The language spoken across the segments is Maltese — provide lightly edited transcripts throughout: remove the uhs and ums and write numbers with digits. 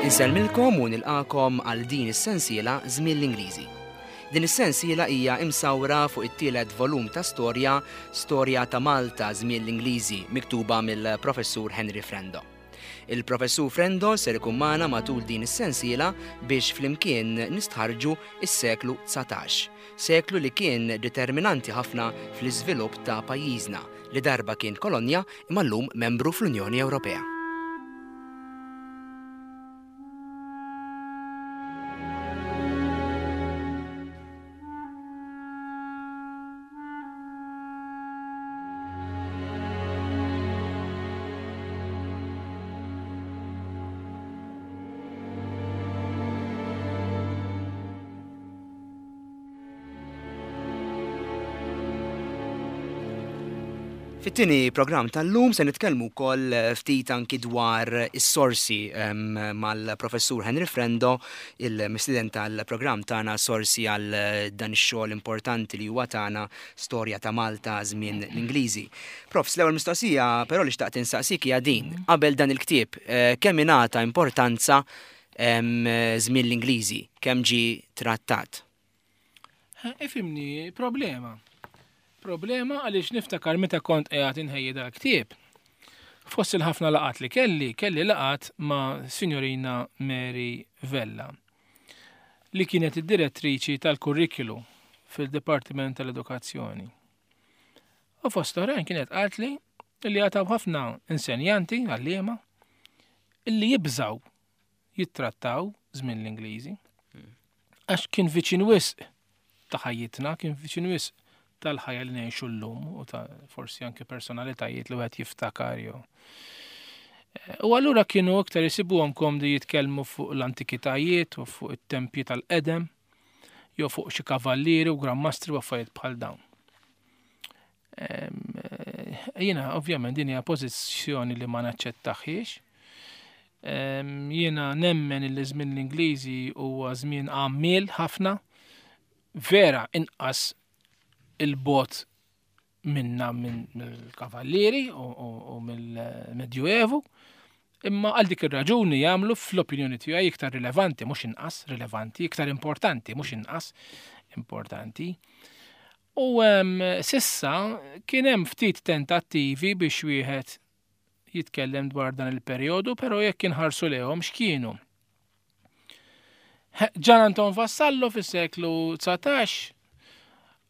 Insellmilkom u nilqakom għal din is-sensiela Żmien l-Ingliżi. Din is-sensiela hija imsawra fuq it-tielet volum ta' storja Storja ta' Malta Żmien l-Ingliżi miktuba mill-Professur Henry Frendo. Il-Professur Frendo ser ikun magħna matul din is-sensiela biex flimkien nistħarrġu s-seklu 19, seklu li kien determinanti ħafna fl-iżvilupp ta' pajjiżna li darba kien kolonja imma llum membru fl-Unjoni Ewropea. Fit-tieni programm tal-lum se nitkellmu wkoll eh, ftit anki dwar is-sorsi ehm, mal-professur Henry Frendo, il-mistieden tal-programm tagħna sorsi għal eh, dan ix-xogħol importanti li huwa tagħna storja ta' Malta żmien l-Ingliżi. Prof, l-ewwel mistoqsija però li xtaqt insaqsik hija din. Qabel dan il-ktieb, eh, kemm ingħata importanza żmien l-Ingliżi, kemm ġie trattat? Ifimni, problema. Problema għaliex niftakar meta kont qiegħed inħejji dal-ktieb. Fost il-ħafna laqat li kelli, kelli laqat ma' Signorina Mary Vella, li kienet id-direttriċi tal-kurrikulu fil-Dipartiment tal-Edukazzjoni. U fost oħrajn kienet qaltli li għataw ħafna insenjanti għalliema illi jibżaw jittrattaw żmien l-Ingliżi. Għax kien viċin wisq ta' ħajjitna, kien viċin wisq tal-ħajja li ngħixu llum u ta' forsi anke personalitajiet li wieħed jiftakar jew. Eh, u allura kienu iktar isibuhom komdi jitkellmu fuq l-antikitajiet u fuq it-tempji tal-qedem jew fuq xi kavallieri u grammastri u affarijiet bħal dawn. Eh, jiena ovvjament din hija pożizzjoni li ma naċċettaħiex. Jiena nemmen li żmien l-Ingliżi huwa żmien għammiel ħafna, vera inqas il-bot minna mill-kavallieri u mill-Medjuevu, imma għal dik ir-raġuni jagħmlu fl-opinjoni tiegħi iktar rilevanti, mhux inqas rilevanti, iktar importanti, mhux inqas importanti. U sissa kien hemm ftit tentattivi biex wieħed jitkellem dwar dan il-perjodu, però jekk inħarsu lejhom x'kienu. Ġan Anton Vassallo fis-seklu 19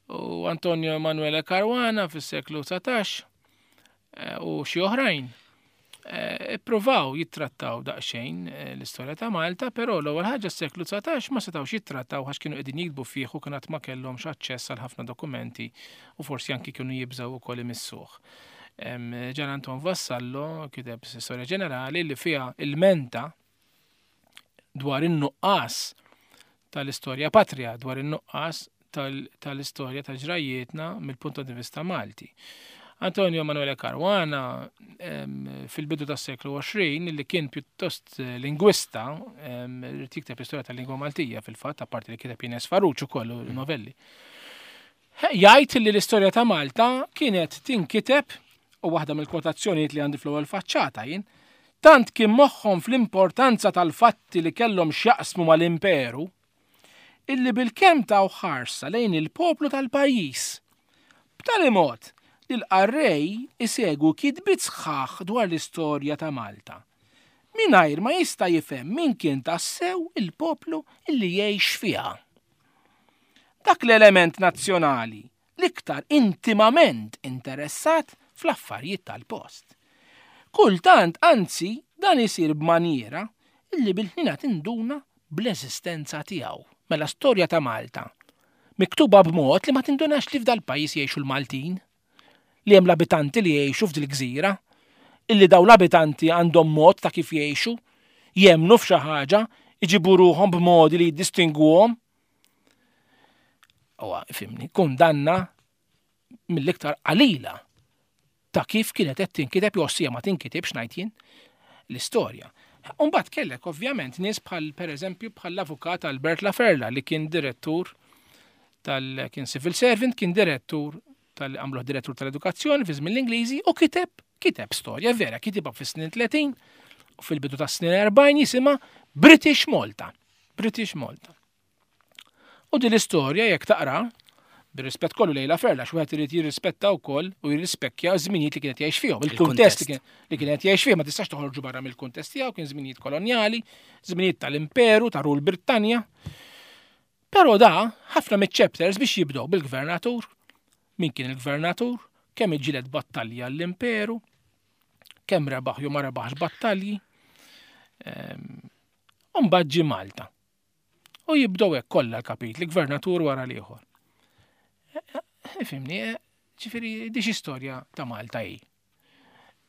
u Antonio Emanuele Caruana fis-seklu 19 eh, u xi oħrajn eh, ippruvaw jittrattaw daqsxejn eh, l-istorja ta' Malta, però l-ewwel ħaġa s-seklu 19 ma setgħux jittrattaw għax kienu qegħdin jiktbu fih u kien ma kellhomx aċċess għal ħafna dokumenti u forsi anki kienu jibżgħu ukoll imissuh. Ġan Anton Vassallo kiteb storja ġenerali li fiha il-menta dwar in-nuqqas tal-istorja patrija, dwar in-nuqqas tal-istorja ta' ġrajjietna mill-punt di vista Malti. Antonio Manuele Caruana fil-bidu tas seklu 20 li kien pjuttost eh, lingwista, rrid jikteb l-istorja tal-lingwa Maltija fil-fatt, apparti li kiteb Ines Farruċ ukoll mm. novelli. Jgħid li l-istorja ta' Malta kienet tinkiteb, u waħda mill-kwotazzjonijiet li għandi fl-ewwel faċċata jien, tant kien moħħhom fl-importanza tal-fatti li kellhom x'jaqsmu mal-imperu, illi bilkemm taw ħarsa lejn il-poplu tal-pajjiż, b'tali mod li l-qarrej isegwu kitbiet sħaħ dwar l-istorja ta' Malta, mingħajr ma jista' jifhem min kien tassew il-poplu illi jgħix fiha. Dak l-element nazzjonali l-iktar intimament interessat fl-affarijiet tal-post. Kultant, anzi, dan isir b'manjiera illi bil-ħnina tinduna bl-eżistenza tiegħu. Mela storja ta' Malta, miktuba b'mod li ma tindunax li f'dal-pajjiż jgħixu l-Maltin, li hemm l-abitanti li jgħixu f'dil-gżira, illi dawn l-abitanti għandhom mod ta' kif jgħixu, jemmnu f'xi ħaġa, iġibu ruħhom b'modi li jiddistingwuhom. Huwa, fimni, kundanna mill-iktar qalila ta' kif kienet qed tinkiteb jew sija ma tinkitibx ngħid jien l-istorja. Umbagħad kellek ovvjament nies bħal pereżempju bħal l-avukat Albert Laferla li kien direttur tal kien civil servant, kien direttur tal għamluh direttur tal-edukazzjoni fi żmien l-Ingliżi u kiteb Kiteb storja vera, kitibha fis-snin 30 u fil-bidu tas-snin 40 jisimha British Malta. British Malta. U din l-istorja jekk taqra, bir-rispett kollu lejla Ferla, x'wieħed irid jirrispetta wkoll u jirrispekkja żminijiet li kienet jgħix fihom, il-kuntest li kienet jgħix fih, ma tistax toħorġu barra mill-kuntest tiegħu, kien żminijiet kolonjali, żminijiet tal-Imperu, ta' Rul Brittanja. Però da, ħafna miċ-chapters biex jibdew bil-gvernatur, min kien il-gvernatur, kemm iġġieled battalji għall-imperu, kemm rebaħ jew ma rebaħx battalji. Ehm, u mbagħad ġie Malta. U jibdew hekk kollha l-kapitli, gvernatur wara l-ieħor. Ifimni, eh, ġifieri di xi storja ta' Malta hi.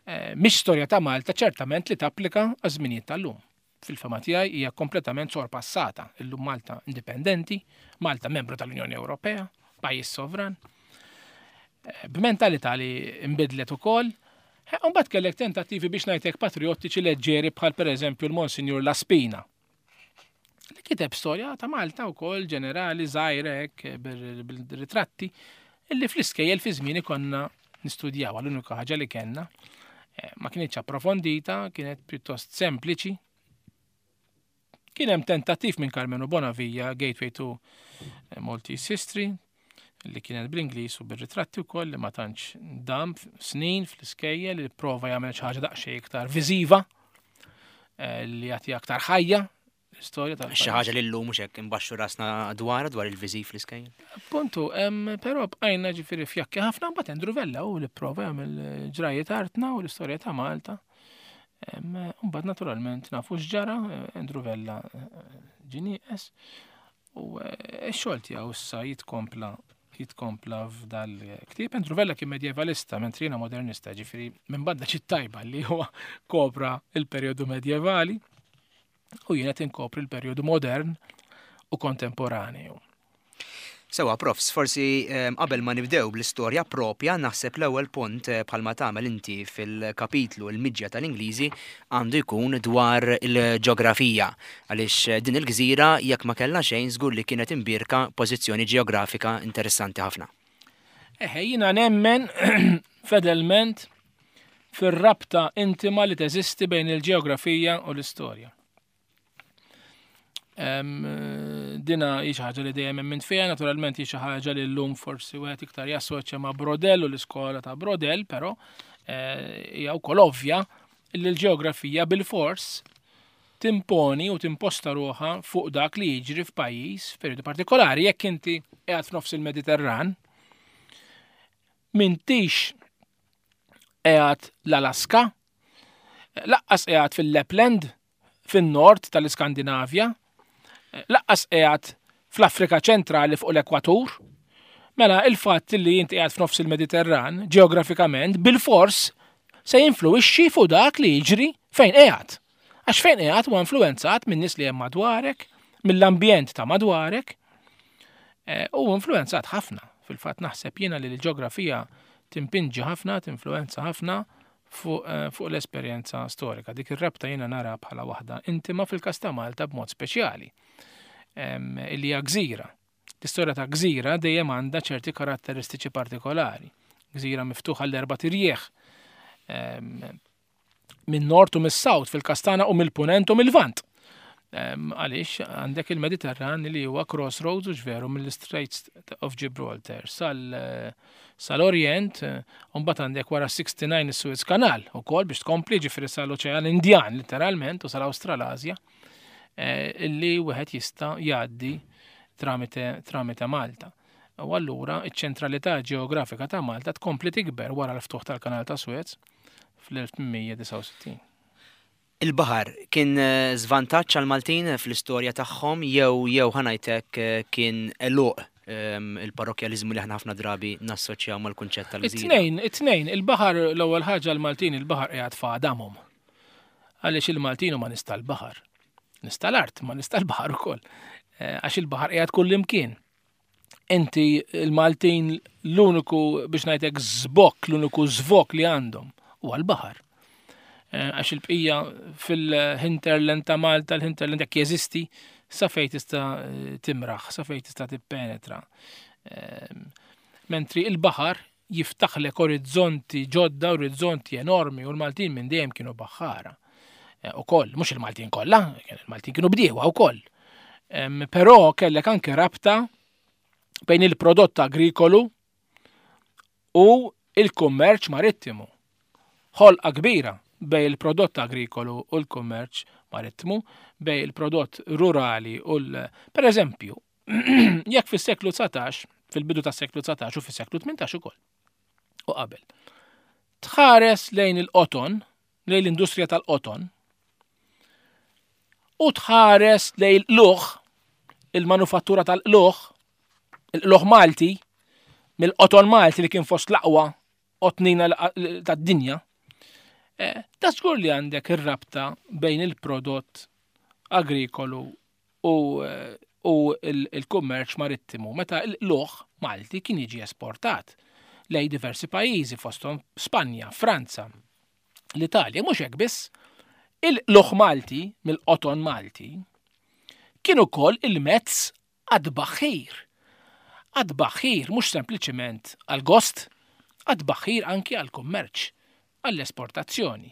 Eh, mhix storja ta' Malta ċertament li tapplika għaż-żminijiet tal-lum. Fil-fema tiegħi hija kompletament sorpassata. Illum Malta indipendenti, Malta membru tal-Unjoni Ewropea, pajjiż sovran. Eh, b'mentalità li nbidlet ukoll, Mbagħad kellek tentattivi biex ngħidlek patriottiċi leġġeri bħal pereżempju l-Monsinjur Laspina Li kiteb storja ta' Malta wkoll ġenerali żgħira hekk bil-ritratti illi fl-iskejjel fi żmieni konna nistudjaw l-unika ħaġa li kellna. Eh, ma kienx approfondita, kienet pjuttost sempliċi. Kien hemm tentattiv minn Carmenu Bonavija, Gateway to eh, Maltese History, li kienet bl-Ingliż u bir-ritratti wkoll li ma tantx dam snin fl-iskejjel li prova jagħmel xi ħaġa daqsxejn iktar viżiva eh, li jagħti aktar ħajja l-istorja tal Xi ħaġa li llum mhux hekk imbaxxu rasna dwar dwar il-viżiv fl-iskejjel. Appuntu, però bqajna ġifieri fjakki ħafna mbagħad Andrew Vella u li prova jagħmel ġrajiet artna u l-istorja ta' Malta. Mbagħad naturalment nafu x'ġara, Andrew Vella eh, ġie nieqes. U eh, x-xogħol tiegħu issa jitkompla jitkompla f'dal-ktieb. Andrew Vella kien medjevalista, mentri jiena modernista, ġifieri minn banda tajba li huwa kopra il-perjodu medjevali u jiena tinkopri l-perjodu modern u kontemporaneu. Sewa, profs, forsi ehm, qabel ma nibdew bl-istorja propja, naħseb l-ewwel punt eh, bħalma tagħmel inti fil-kapitlu l-miġja tal-Ingliżi għandu jkun dwar il-ġeografija. Għaliex eh, din il-gżira jekk ma kellha xejn żgur li kienet imbierka pożizzjoni ġeografika interessanti ħafna. Eħe, jiena nemmen fedelment fir-rabta intima li teżisti bejn il-ġeografija u l-istorja. Dina hi xi ħaġa li dejjem emmint fiha, naturalment hi xi ħaġa li llum forsi wieħed iktar jassoċja ma' Brodell u l-iskola ta' Brodell, però eh, hija wkoll ovvja li l-ġeografija bil-fors timponi u timposta ruħha fuq dak li jiġri f'pajjiż f'perjodu partikolari jekk inti qiegħed f'nofs il-Mediterran m'intix qiegħed l-Alaska, laqqas qiegħed fil-Lapland, fin-nord tal-Iskandinavja, laqqas qiegħed fl-Afrika ċentrali fuq l-ekwatur. Mela il-fatt li inti qiegħed f'nofs il-Mediterran, ġeografikament, bil-fors se jinfluwixxi fuq dak li jiġri fejn qiegħed. Għax fejn qiegħed huwa influwenzat minn nies li hemm madwarek, mill-ambjent ta' madwarek, eh, u influwenzat ħafna. Fil-fatt naħseb jiena li l-ġeografija timpinġi ħafna, tinfluwenza ħafna fuq eh, fuq l-esperjenza storika. Dik ir-rabta jiena nara bħala waħda intima fil-każ ta' Malta b'mod speċjali. Illi hija gżira. L-istorja ta' gżira dejjem għandha ċerti karatteristiċi partikolari. Gżira miftuħa l-erba' tirjieħ minn nord u mis-south fil-Kastana u mill-punent u mill-vant. Għaliex għandek il-Mediterran li huwa crossroads u ġveru mill-Straits of Gibraltar sal-Orient, u mbagħad għandek wara 69 is-Suez Canal ukoll biex tkompli ġifieri sal-Oċean Indjan literalment u sal-Awstralasja eh, illi wieħed jista' jgħaddi tramite tramite Malta. U allura iċ-ċentralità ġeografika ta' Malta tkompli tikber wara l-ftuħ tal-Kanal ta' Suez fl-1869. Il-baħar kien żvantaġġ għall-Maltin fl-istorja tagħhom jew jew ħa ngħid hekk kien għeluq il-parrokkjaliżmu li aħna ħafna drabi nassoċjaw mal-kunċett tal-gżira? It-tnejn, it-tnejn. Il-baħar l-ewwel ħaġa l-Maltin il-baħar qiegħed f'għadamhom. Għaliex il-Maltin huma nies tal-baħar. Nies tal-art, ma nies tal-baħar ukoll. Eh, għax il-baħar qiegħed kullimkien. Inti il-Maltin l-uniku biex ngħidlek żbokk, l-uniku żvok li għandhom huwa l-baħar. Eh, għax il-bqija fil-hinterland ta' Malta, l-hinterland jekk jeżisti, sa fejn tista' eh, timraħ, sa fejn tista' tippenetra. Eh, mentri il-baħar jiftaħlek orizzonti ġodda, orizzonti enormi, u l-Maltin minn dejjem kienu baħħara. Eh, ukoll, mhux il-Maltin kollha, il-Maltin kienu bdiewa wkoll. Però kellek anke rabta bejn il-prodott agrikolu u il-kummerċ marittimu. Ħolqa kbira bejn il-prodott agrikolu u l-kummerċ marittimu, bejn il-prodott rurali u l... Per eżempju, jekk fis-seklu 19, fil-bidu tas-seklu 19 u fis-seklu 18 ukoll, u qabel, tħares lejn il-qoton, lejn l-industrija tal-qoton, u tħares lejn l-luħ, il-manufattura tal-qluħ, il-qluħ Malti, mill-qoton Malti li kien fost l-aqwa qotnina tad-dinja, eh, ta' żgur li għandek ir-rabta bejn il-prodott agrikolu u, eh, u il-kummerċ marittimu meta l-luħ Malti kien jiġi esportat lej diversi pajjiżi fosthom Spanja, Franza, l-Italja, mhux hekk biss, il-luħ Malti mill-qoton Malti kien ukoll il-mezz għat-tbaħħir. Għat-tbaħħir mhux sempliċement għall-gost, għat-tbaħħir anki għall-kummerċ, għall-esportazzjoni,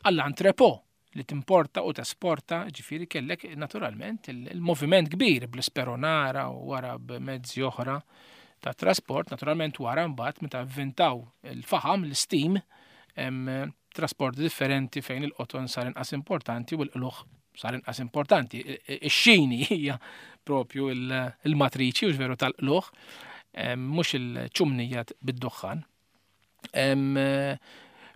għall-entrepot li timporta u tesporta, ġifieri kellek naturalment il-moviment kbir bl-isperonara u wara b'mezzi oħra ta' trasport, naturalment wara mbagħad meta vvintaw il-faħam, l-steam, hemm trasport differenti fejn il-qoton sar inqas importanti u l-qlugħ sar inqas importanti. Ix-xini hija propju il-matriċi u veru tal-qlugħ, mhux il-ċumnija bid-duħħan.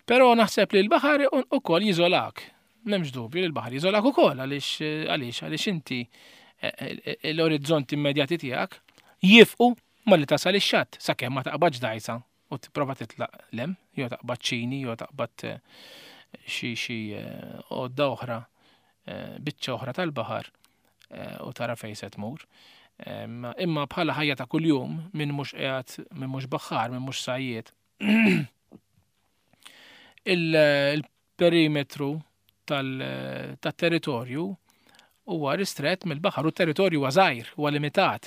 Però naħseb li l-baħar ukoll jiżolak. M'hemmx dubju li l-baħar jiżolak ukoll għaliex għaliex għaliex inti e, e, e, l-orizzonti immedjati tiegħek jifqu malli tasal ix-xatt sakemm ma taqbadx dajsa u tipprova titlaq 'l hemm, jew taqbad ċini, jew taqbad eh, xi xi eh, għodda oħra, eh, biċċa oħra tal-baħar u tara fejn se tmur. Imma bħala ħajja ta' kuljum minn mhux qiegħed minn mhux baħħar, minn mhux sajjied. Il-perimetru tat-territorju huwa ristrett mill-baħar u t-territorju huwa żgħir, huwa limitat.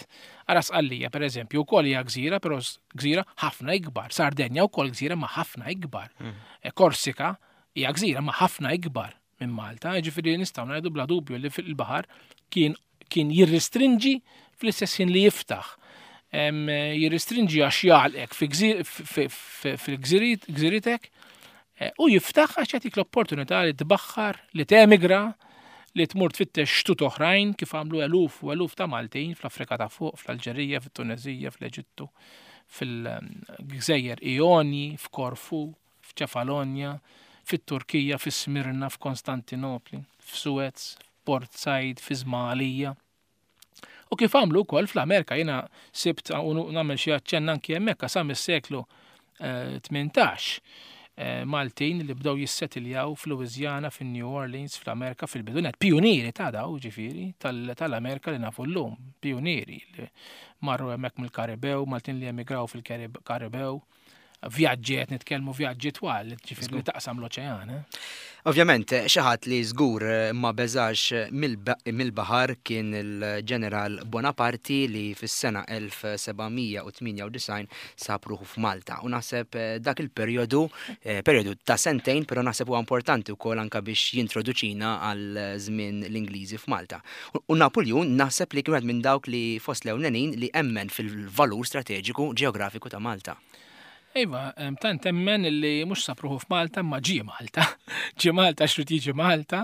Ara Sqallija, pereżempju, wkoll hija gżira, però gżira ħafna ikbar. Sardenja wkoll gżira ma ħafna ikbar. Mm. Eh, Korsika hija gżira ma ħafna ikbar minn Malta, ġifieri nistgħu ngħidu bla dubju li fil-baħar kien kien jirrestrinġi fl-istess ħin li jiftaħ. Jirrestrinġi għax jgħalqek fil-gżiritek eh, u jiftaħ għax jagħtik l-opportunità li tbaħħar, li temigra, li tmur tfittex xtut oħrajn kif għamlu eluf u eluf ta' Maltin fl-Afrika ta' fuq, fl-Alġerija, fit-Tunezija, fl-Eġittu, fil-Gżejjer Ionji, f'Korfu, f'Ċefalonja, fit-Turkija, fi Smirna, f'Konstantinopli, f'Suez, f'Port Said, fi Żmalija. U kif għamlu wkoll fl-Amerika jiena sibt u nagħmel xi aċċenn anki hemmhekk sa mis-seklu 18 eh, eh, Maltin li bdew jissetiljaw f'Louisiana, fin-New Orleans, fl-Amerika fil-bidunet, pionieri ta' daw ġifieri tal-Amerika li nafu llum, pionieri li marru hemmhekk mill-Karibew, Maltin li emigraw fil-Karibew vjaġġi qed nitkellmu vjaġġi twal, ġifieri li taqsam l-oċean. Eh? Ovvjament, xi ħadd li żgur eh, ma beżax mill-baħar kien il-ġeneral Bonaparti li fis-sena 1798 sab ruħu f'Malta. U naħseb eh, dak il-perjodu, perjodu ta' sentejn, però naħseb huwa importanti wkoll anke biex jintroduċina għal żmien l-Ingliżi f'Malta. U Napuljun naħseb li kien wieħed minn dawk li fost l-ewlenin li emmen fil-valur strateġiku ġeografiku ta' Malta. Iva, tant emmen li mhux sab ruħu f'Malta imma ġie Malta. Ġie Malta għax rid jiġi Malta.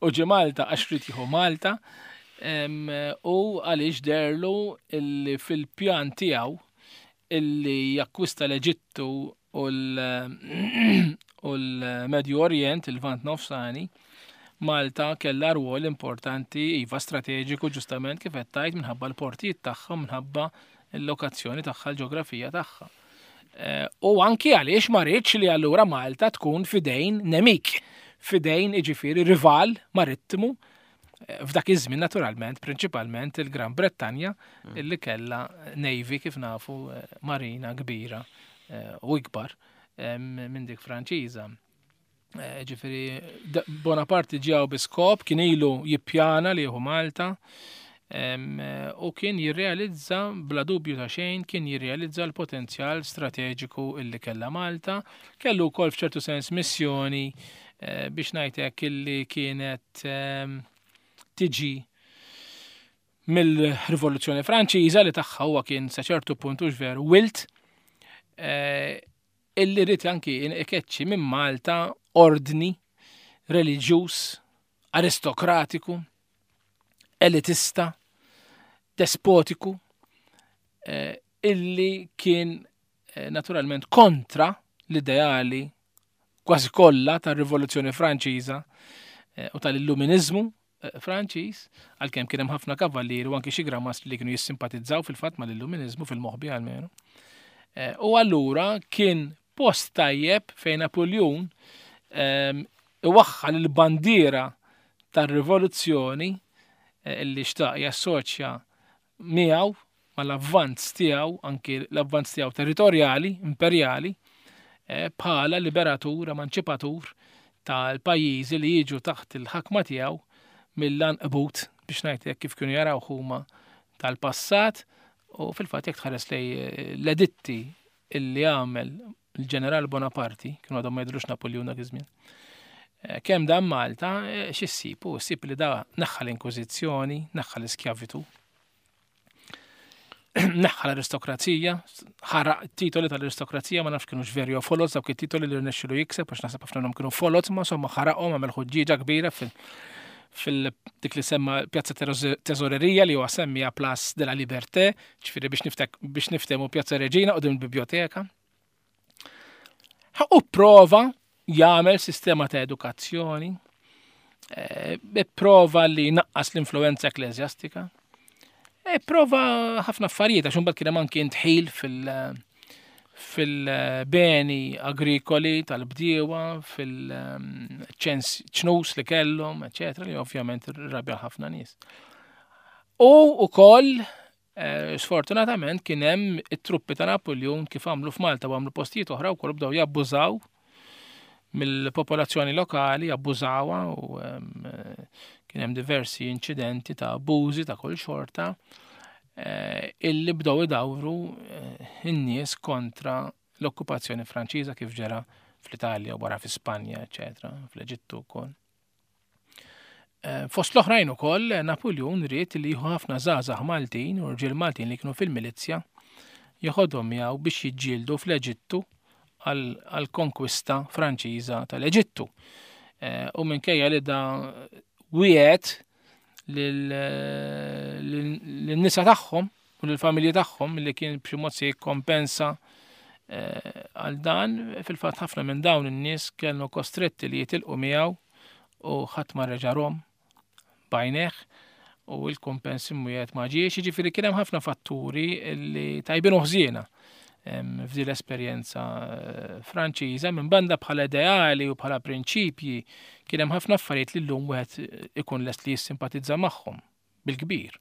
U ġie Malta għax rid jieħu Malta. U għaliex derlu illi fil-pjan tiegħu illi jakkwista l-Eġittu u l-Medju Orient, il-Lvant Nofsani, Malta kellha rwol importanti, iva strateġiku ġustament kif qed tgħid minħabba l-portijiet tagħha, minħabba l-lokazzjoni tagħha, l-ġeografija tagħha. Eh, u anki għaliex ma rridx li allura Malta tkun fidejn nemik, fidejn iġifieri rival marittimu eh, f'dak iż-żmien naturalment, prinċipalment il-Gran Brettanja mm. illi kellha navy kif nafu eh, marina kbira u ikbar minn dik Franċiża. Eh, ġifieri, Bonaparte ġew bi skop, kien ilu jippjana li jieħu Malta. U kien jirrealizza, bla dubju ta' xejn, kien jirrealizza l-potenzjal strateġiku illi kellha Malta. Kellu wkoll f'ċertu sens missjoni eh, biex ngħid hekk illi kienet tiġi mill-Rivoluzzjoni Franċiża li tagħha huwa kien sa ċertu punt hux veru wilt eh, illi rrid anki ikeċċi minn Malta ordni reliġjuż aristokratiku elitista despotiku eh, illi kien eh, naturalment kontra l-ideali kważi kollha tar-Rivoluzzjoni Franċiża eh, u tal-Illuminizmu Franċiż, għalkemm kien hemm ħafna kavallieri u anki xi gramastri li kienu jissimpatizzaw fil-fatt mal-Illuminizmu fil-moħbi almenu. U allura kien post tajjeb fejn Napoleon ehm, iwaħħal il-bandiera tar-rivoluzzjoni eh, illi xtaq jassoċja miegħu mal-avvanz tiegħu, anki l-avvanz tiegħu territorjali, imperjali, eh, bħala liberatur, emanċipatur tal-pajjiżi li jiġu taħt il-ħakma tiegħu mill-anqbut biex ngħid hekk kif kienu jaraw huma tal-passat u fil-fatt jekk tħares lej eh, l-editti illi għamel il-ġeneral Bonaparti, kienu għadhom ma jidrux Napoleon dak iż-żmien. Eh, kemm dan Malta, eh, x'issib? U ssib li da neħħa l-Inkwiżizzjoni, neħħa l-iskjavitu, neħħa l-aristokrazija, ħaraq titoli tal-aristokrazija, ma nafx kienu veri u foloz, dawk it-titoli li rnexxilu jikseb, għax naħseb ħafna minnhom kienu foloz, ma insomma ħaraqhom għamel ħuġġieġa kbira fil- fil-dik li semma Pjazza Teżorerija li huwa semmija Place de la Liberté, ġifieri biex niftek biex niftehmu Pjazza Reġina qudiem il-biblioteka. U prova jagħmel sistema ta' edukazzjoni, eh, prova li naqqas l-influenza ekklesjastika, eh, prova ħafna affarijiet għax imbagħad kien hemm anki intħil fil- fil-beni agrikoli tal-bdiewa, fil-ċens ċnus li kellhom, eċetera, li ovvjament rabja ħafna nies. U ukoll eh, sfortunatament kien hemm it-truppi ta' Napoleon kif għamlu f'Malta u għamlu postijiet oħra wkoll bdew jabbużaw mill-popolazzjoni lokali, abbużawha u kien hemm diversi inċidenti ta' abbużi ta' kull xorta eh, illi bdew idawru eh, in-nies kontra l-okkupazzjoni Franċiża kif ġara fl-Italja u wara fi Spanja, eċetera, fl-Eġittu wkoll. Eh, fost l-oħrajn ukoll Napoleon ried li jieħu ħafna żgħażagħ Maltin u rġiel Maltin li kienu fil-milizzja jeħodhom miegħu biex jiġġieldu fl-Eġittu għall-konkwista Franċiża tal-Eġittu. Eh, u minkejja li da wiegħed lin-nisa tagħhom u lill-familji tagħhom li kien b'xi mod se jikkompensa eh, għal dan, fil-fatt ħafna minn dawn in-nies kienu kostretti li jitilqu miegħu u ħadd ma reġa' rom b'għajnejh u l-kumpens imwiegħed ma ġiex, jiġifieri kien hemm ħafna fatturi li tajbin u ħżiena f'din l-esperjenza eh, Franċiża minn banda bħala ideali u bħala prinċipji kien hemm ħafna affarijiet li llum wieħed ikun lest li jissimpatizza magħhom bil-kbir.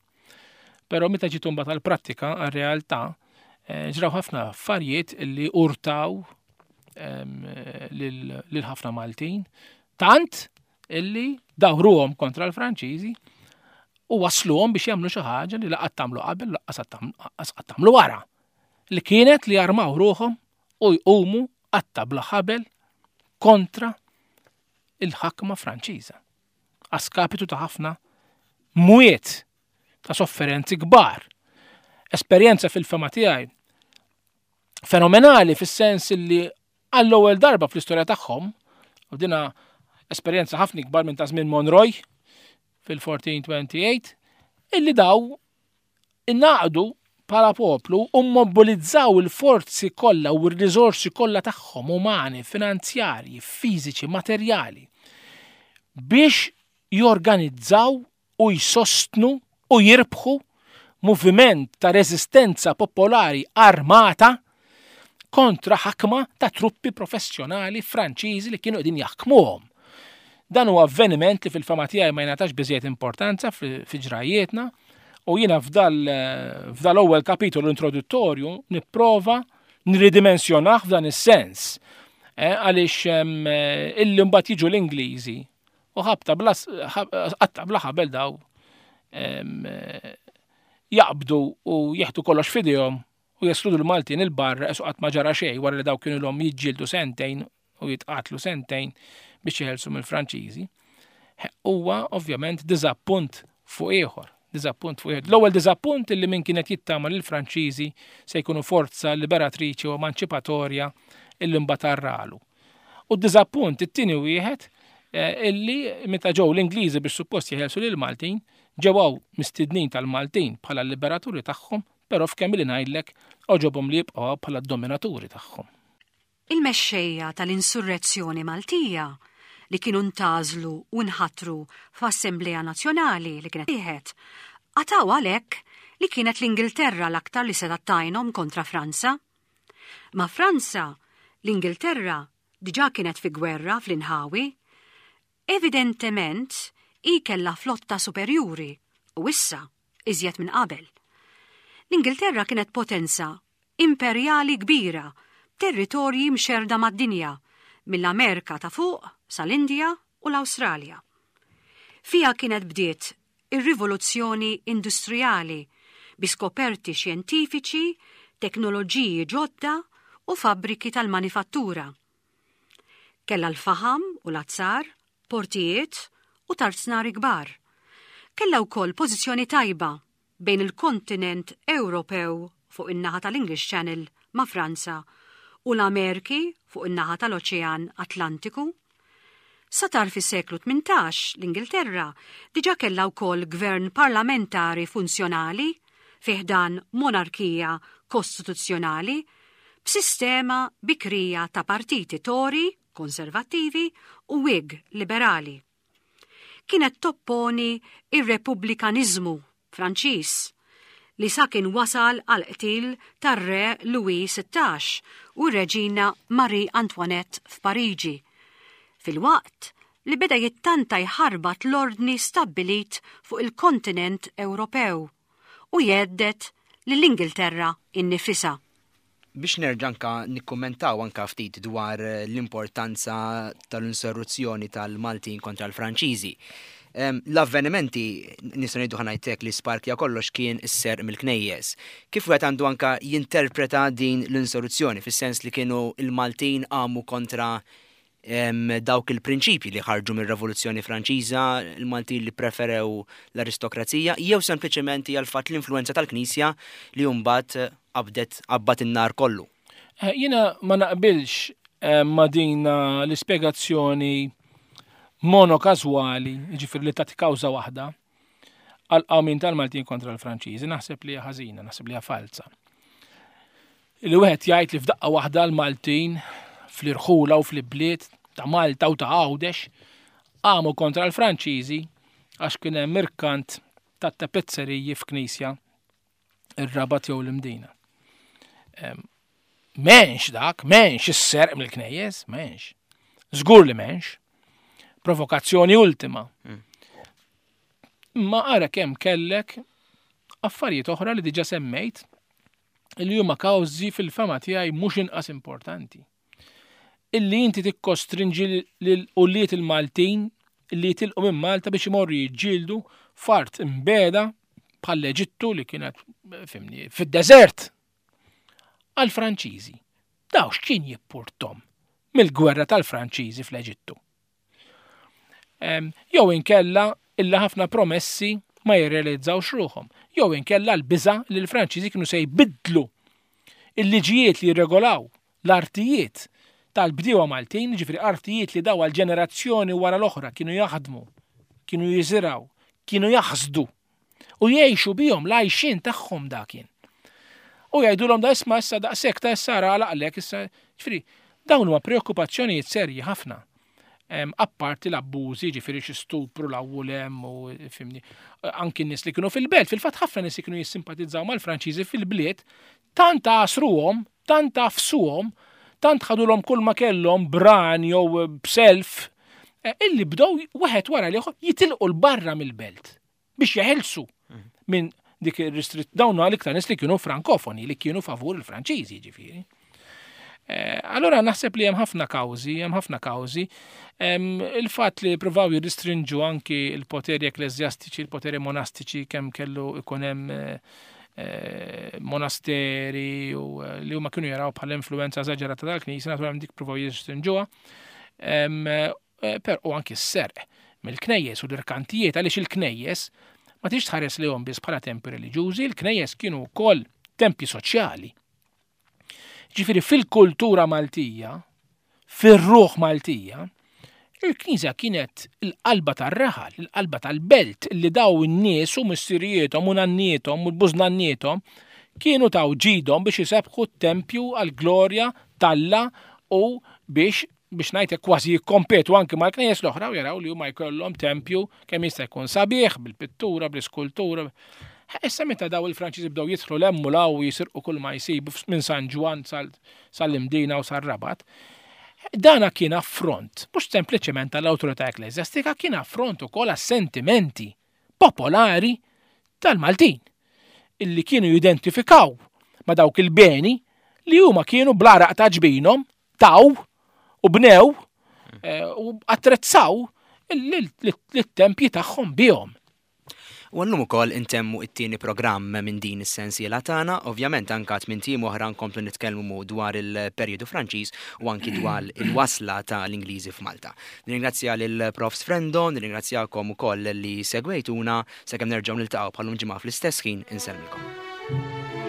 Però meta ġiet imbagħad għall-prattika, għar-realtà, eh, ġraw ħafna affarijiet li urtaw lil ħafna Maltin, tant illi dawruhom kontra l-Franċiżi u wasluhom biex jagħmlu xi ħaġa li laqgħat tagħmlu qabel laqqas qatt tagħmlu wara. Li kienet li jarmaw ruħhom u jqumu qatta bla ħabel kontra il-ħakma Franċiża. Għaskapitu ta' ħafna mwiet ta' sofferenzi kbar. Esperjenza fil-fema tiegħi fenomenali fis-sens li għall-ewwel darba fl-istorja tagħhom, u dina esperjenza ħafna ikbar minn ta' żmien Monroy fil-1428, illi daw innaqdu bħala poplu u mmobilizzaw il-forzi kollha u r-riżorsi kollha tagħhom umani, finanzjarji, fiżiċi, materjali biex jorganizzaw u jsostnu u jirbħu moviment ta' reżistenza popolari armata kontra ħakma ta' truppi professjonali Franċiżi li kienu qegħdin jaħkmuhom. Dan huwa avveniment li fil-fama tiegħi ma jingħatax biżejjed importanza fi ġrajjietna u jiena f'dal-ewwel kapitolu introduttorju nipprova nridimensjonah f'dan is-sens. Eh, għaliex eh, illi mbagħad jiġu l-Ingliżi u ħabta bla qatta bla ħabel daw Jaqbdu u jieħdu kollox f'idejhom u jeskludu l-Maltin il-barra esu qatt ma ġara xejn wara li daw kienu l-hom jiġġieldu sentejn u jitqatlu sentejn biex jeħelsu mill-Franċiżi. Huwa ovvjament diżappunt fuq ieħor. Diżappunt fuq ieħor. L-ewwel diżappunt illi min kienet jittama li l-Franċiżi se jkunu forza liberatriċi u emanċipatorja illi mbagħad arralu. U d-diżappunt it-tieni wieħed eh, illi meta ġew l-Ingliżi biex suppost jeħelsu lil Maltin, ġew hawn mistednin tal-Maltin bħala l-liberaturi tagħhom, però f'kemm li ngħidlek oġobhom li jibqgħu bħala d-dominaturi tagħhom. Il-mexxejja tal-insurrezzjoni Maltija li kienu ntgħażlu u nħatru f'Assemblea Nazzjonali li kienet tieħed, qatgħu għalhekk li kienet l-Ingilterra l-aktar li setgħet tgħinhom kontra Franza. Ma' Franza, l-Ingilterra diġà kienet fi gwerra fl-inħawi. Evidentement, hi kellha flotta superjuri u issa, iżjed minn qabel. L-Ingilterra kienet potenza imperjali kbira b'territorji mxerrda mad-dinja, mill-Amerika ta' Fuq sal-Indja u l-Awstralja. Fiha kienet bdiet ir-rivoluzzjoni industrijali bi skoperti xjentifiċi, teknoloġiji ġodda u fabbriki tal-manifattura. Kellha l-faħam u l-azzar, portijiet u tarznari kbar. Kellha wkoll pożizzjoni tajba bejn il-kontinent Ewropew fuq in-naħa tal-English Channel ma' Franza u l-Amerki fuq in-naħa tal-Oċean Atlantiku. Sa tarf is-seklu 18 l-Ingilterra diġà kellha wkoll gvern parlamentari funzjonali fi ħdan monarkija kostituzzjonali b'sistema bikrija ta' partiti Tory, Konservattivi, u Whig, Liberali. Kienet topponi r-repubblikaniżmu Franċiż, li sa kien wasal għall-qtil tar-Re Louis 16 u r-Reġina Marie Antoinette f'Pariġi, filwaqt li beda jittanta jħarbat l-ordni stabbilit fuq il-kontinent Ewropew u jhedded lill-Ingilterra nnifisha. Biex nerġa' anka nikkummentaw anka ftit dwar l-importanza tal-insurruzzjoni tal-Maltin kontra l-Franċiżi. L-avvenimenti, nistgħu ngħidu ħa ngħid li sparkja kollox kien is-serq mill-knejjes. Kif wieħed għandu anka jinterpreta din l-insurruzzjoni fis-sens li kienu l-Maltin qamu kontra dawk il-prinċipji li ħarġu mir-Revoluzzjoni Franċiża, il-Maltin li preferew l-aristokrazija, jew sempliċement hija l-fatt l-influenza tal-Knisja li mbagħad qabdet qabbat in-nar kollu. Eh, jiena ma naqbilx eh, ma din eh, l-ispjegazzjoni monokażwali, ġifieri li tagħti kawża waħda, għal qawmin tal-Maltin kontra l-Franċiżi, naħseb li hija ħażina, naħseb li hija falza. Li wieħed jgħid li f'daqqa waħda l-Maltin fl-irħula u fl-ibliet ta' Malta u ta' Għawdex qamu kontra l-Franċiżi għax kien hemm irkant ta' tapezzeriji f'knisja ir-Rabat jew l-Imdina. M'hemmx dak, m'hemmx is-serq mill-knejjes, m'hemmx. Żgur li m'hemmx. Provokazzjoni ultima. Mm. Ma ara kemm kellek affarijiet oħra li diġa semmejt li huma kawżi fil-fema tiegħi mhux inqas importanti. Illi inti tikkostrinġi lil ulied il-Maltin li jitilqu minn Malta biex imorru jiġġieldu f'art imbeda bħall-Eġittu li kienet fimni fid-deżert għall-Franċiżi. Daw x'kien jippurtom mill-gwerra tal-Franċiżi fl-Eġittu? Jew inkella illa ħafna promessi ma jirrealizzawx ruħhom. Jew inkella l-biża li l-Franċiżi kienu se jbiddlu il-liġijiet li jirregolaw l-artijiet tal-bdiewa Maltin, ġifieri artijiet li daw għal ġenerazzjoni wara l-oħra kienu jaħdmu, kienu jiżirgħu, kienu jaħsdu u jgħixu bihom l-għajxien tagħhom dak kien. U jgħidulhom da isma' issa daqshekk ta' issa ara għalaqlek issa, ġifieri dawn huma preokkupazzjonijiet serji ħafna. Apparti l-abbużi, ġifieri xi stupru l-awwulem u fimni. Anki n-nies li kienu fil-belt, fil-fatt ħafna nies li kienu jissimpatizzaw mal-Franċiżi fil-bliet, tant għasruhom, tant għafsuhom, tant ħadulhom kull ma kellhom bran jew b'self, eh, illi bdew wieħed wara l-ieħor jitilqu l-barra mill-belt biex jeħilsu mhm. minn dik ir-ristritt dawn għal iktar nies li kienu frankofoni li kienu favur il-Franċiżi ġifieri. Eh, allora naħseb li hemm ħafna kawżi, hemm ħafna kawżi. Il-fatt li provaw jirristrinġu anki il-poteri ekkleżjastiċi, il-poteri monastiċi kemm kellu ikun hemm eh, eh, monasteri u li huma kienu jaraw bħala influenza eżaġerata tal-Knisja, naturalment dik provaw jirristrinġuha. Per u anki s-serq mill-knejjes u l-irkantijiet għaliex il-knejjes ma tix tħares lejhom biss bħala tempi reliġjużi, il-knejjes kienu wkoll tempi soċjali. Ġifieri fil-kultura Maltija, fir-ruħ Maltija, il-Knisja kienet il-qalba tar-raħal, il-qalba tal-belt li daw in-nies u missirijiethom u nanniethom u l-bużnanniethom kienu taw ġidhom biex isebħu t-tempju għall-glorja t'Alla u biex biex ngħidlek kważi jikkompetu anki mal-knejjes l-oħra u jaraw li huma jkollhom tempju kemm jista' jkun sabiħ bil-pittura, bl-iskultura. Issa meta daw il-Franċiżi bdew jidħlu 'l hemm u 'l hawn u jisirqu kull ma jsibu minn San Ġwann sal-Imdina u sar-Rabat, dana kien affront, mhux sempliċement għall-awtorità ekkleżjastika, kien affront ukoll għas-sentimenti popolari tal-Maltin illi kienu jidentifikaw ma' dawk il-beni li huma kienu bl-għaraq ta' ġbinhom taw u bnew eh, u attrezzaw lit-tempji tagħhom bihom. U għallum ukoll intemmu it-tieni programm minn din is-sensiela tagħna, ovvjament anka tmien tim oħra nkomplu nitkellmu dwar il-perjodu Franċiż u anki dwar il-wasla ta' l-Ingliżi f'Malta. Nirringrazzja lil Prof Frendo, nirringrazzjakom ukoll li segwejtuna sakemm nerġgħu niltaqgħu bħalum ġimgħa fl-istess ħin insellmilkom.